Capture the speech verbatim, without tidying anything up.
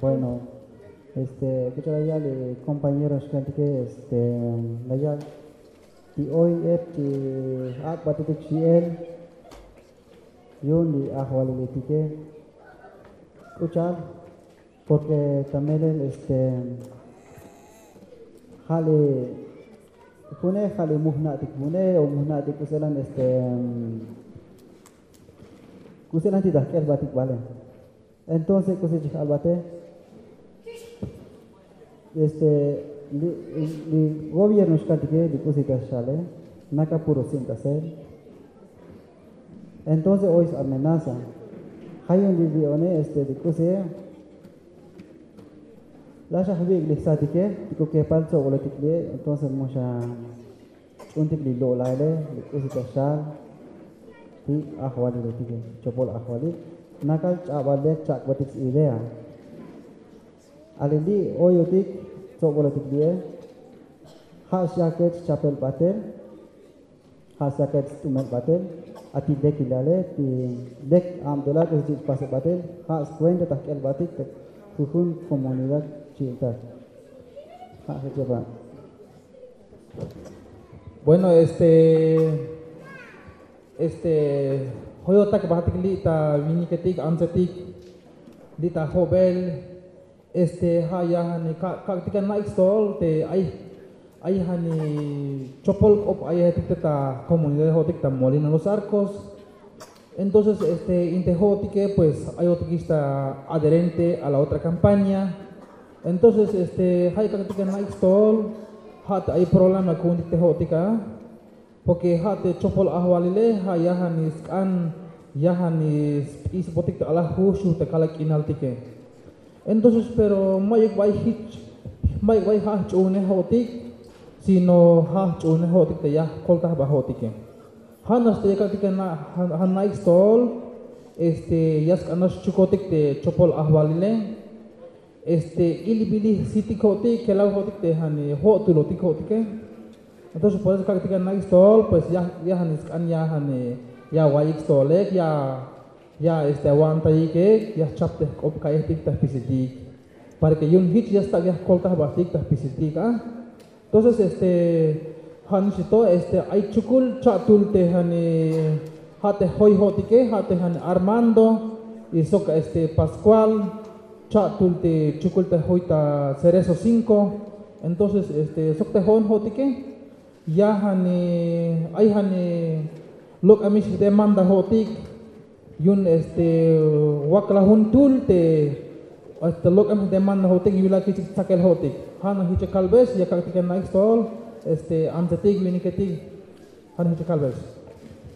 Bueno, este, k'uch'al la yal li compañero xkaltike, este, la yal ti oy ep ti ak'batetik xi'el yu'un li ajwaliletike. K'uch'al, porque ta melel, este, ja' li june, ja' li mujna'tik june o mujna'tik k'uselan, este, k'uselan ti ta jk'elbatik vale. Entonces k'usi chik albate, este, li, li gobierno xkaltike, li k'usi ta xale, naka puro sin ta sel. Entonces oy amenaza. Ja' yu'un li, li one, este, li k'usi, la xajwi'ik li jsatike, ti k'u kepal tsobolotik li, entonces mu xa ch'uuntik li lo'laile, li k'usi ta xal ti ajwaliletike, chopol ajwalil, nakal ch'abal le chak'batik s-idea. Ali li oyotik tsobolotik li'e, ja' xyakech chapel batel, ja' xyakech st'umel batel, a ti lekilale, ti lek abtelal k'usi chich' pase batel, ja' skuenta ta jk'elbatik ta jujun comunidad chi'iltak. Ja' jechepa. Bueno, este, este, joyotak batik li' ta winiketik, antsetik, li' ta jobel, este, ja' ya jani ka', kak'tik ya na'ik stojol te ay, ay jani chopol k'op ayejetik te ta comunidad jo'otik ta Molino Los Arcos. Entonces, este, inte jo'otike, pues, ayotikix ta adherente a la otra campaña. Entonces, este, ja' ya kak'tik ya na'ik stojol, ja' te ay problema ku'untik te jo'otik a. Porque ja' te chopol ajwalile, ja' ya jani sk'an, ya jani sp'isbotik ta alaj jux yuj te kalal k'inaltike. Entonces, pero mayuk bay jich, mayuk bay ja' jch'uunej jo'otik, sino ja' jch'uunej jo'otik te ya jkoltaj ba jo'otike. Ja' nax te ya kak'tik ya na-, ja-, ja' na'ik stojol, este, ya sk'an nax xchukotik te chopol ajwalile. Este, ilbilij sitik jo'otik, kelaw jo'otik te jani jo'tulotik jo'otike. Entonces, por eso kak'tik ya na'ik stojol, pues ya, ya jani sk'an ya jani, ya awa'iyik stojolek, ya, ya, este, awa'antayikek, ya jchap te jk'op ka'yejtik ta jpisiltik. Para que yu'un jich ya stak' ya jkoltaj ba jtik ta jpisiltik a. Entonces, este, ja' nix to, este, ay chukul cha'tul te jani, ja' te joy jo'otike, ja' te jani Armando, y sok, este, Pascual, cha'tul te chukul te joy ta Cerezo cinco. Entonces, este, sok te jo'on jo'otike, ya jani, ay jani lok'amix demanda jo'otik, yu'un, este, wakla jun tul te, este, lok'em demanda jo'otik, yu'un la kich'ik tsakel jo'otik. Ja' nax jich ya kalbex, ya kak'tik ya na'ik stojol, este, antsetik, winiketik, ja' nax jich ya kalbex.